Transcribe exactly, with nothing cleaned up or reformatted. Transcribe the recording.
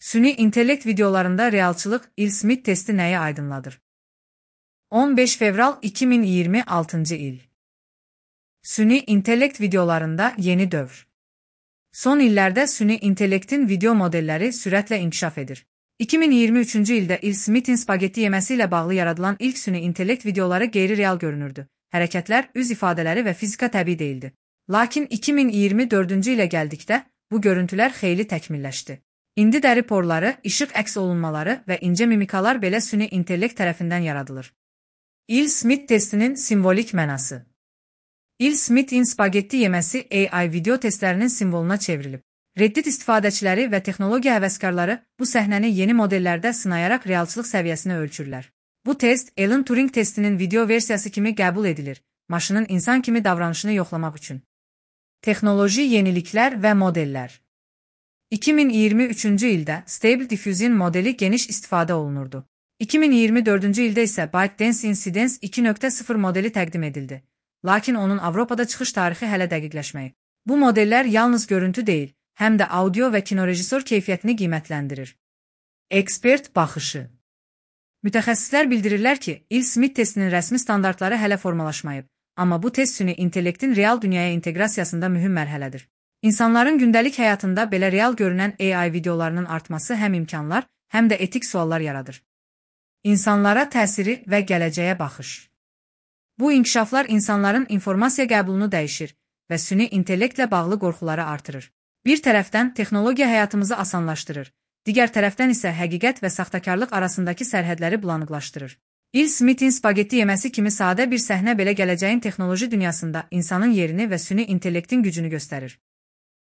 Süni intellekt videolarında realçılıq Will Smith testi nəyi aydınladır? on beş fevral iki min iyirmi altıncı il. Süni intellekt videolarında yeni dövr. Son illərdə süni intellektin video modelləri sürətlə inkişaf edir. iki min iyirmi üçüncü ildə Will Smith'in spagetti yeməsi ilə bağlı yaradılan ilk süni intellekt videoları qeyri-real görünürdü. Hərəkətlər, üz ifadələri və fizika təbii deyildi. Lakin iki min iyirmi dördüncü ilə gəldikdə bu görüntülər xeyli təkmilləşdi. İndi dəri porları, işıq əks olunmaları və incə mimikalar belə süni intellekt tərəfindən yaradılır. Will Smith testinin simvolik mənası. Will Smith'in spagetti yeməsi A I video testlərinin simvoluna çevrilib. Reddit istifadəçiləri və texnologiya həvəskarları bu səhnəni yeni modellərdə sınayaraq realçılıq səviyyəsini ölçürlər. Bu test Alan Turing testinin video versiyası kimi qəbul edilir, maşının insan kimi davranışını yoxlamaq üçün. Texnoloji yeniliklər və modellər. iki min iyirmi üçüncü ildə Stable Diffusion modeli geniş istifadə olunurdu. iki min iyirmi dördüncü ildə isə ByteDance Incidence iki nöqtə sıfır modeli təqdim edildi. Lakin onun Avropada çıxış tarixi hələ dəqiqləşməyib. Bu modellər yalnız görüntü deyil, həm də audio və kinorejissor keyfiyyətini qiymətləndirir. Ekspert baxışı. Mütəxəssislər bildirirlər ki, Will Smith testinin rəsmi standartları hələ formalaşmayıb, amma bu test süni intellektin real dünyaya inteqrasiyasında mühüm mərhələdir. İnsanların gündəlik həyatında belə real görünən A I videolarının artması həm imkanlar, həm də etik suallar yaradır. İnsanlara təsiri və gələcəyə baxış. Bu inkişaflar insanların informasiya qəbulunu dəyişir və süni intellektlə bağlı qorxuları artırır. Bir tərəfdən texnologiya həyatımızı asanlaşdırır, digər tərəfdən isə həqiqət və saxtakarlıq arasındakı sərhədləri bulanıqlaşdırır. Will Smith'in spagetti yeməsi kimi sadə bir səhnə belə gələcəyin texnoloji dünyasında insanın yerini və süni intellektin gücünü göstərir.